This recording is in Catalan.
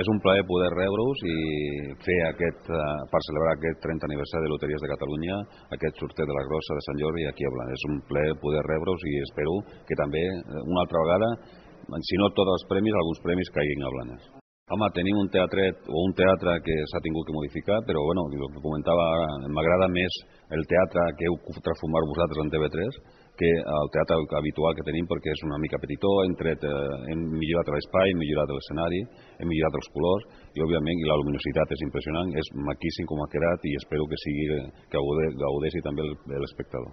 És un plaer poder rebre-us i fer per celebrar aquest 30 aniversari de Loteries de Catalunya, aquest sorteig de la Grossa de Sant Jordi aquí a Blanes. És un plaer poder rebre-us i espero que també, una altra vegada, si no tots els premis, alguns premis caiguin a Blanes. Home, tenim un teatre que s'ha tingut que modificar, però bueno, el que comentava ara, m'agrada més el teatre que heu transformat vosaltres en TV3 que el teatre habitual que tenim, perquè és una mica petitó, hem millorat l'espai, hem millorat l'escenari, hem millorat els colors i òbviament la luminositat és impressionant, és maquíssim com ha quedat i espero que gaudeixi també l'espectador.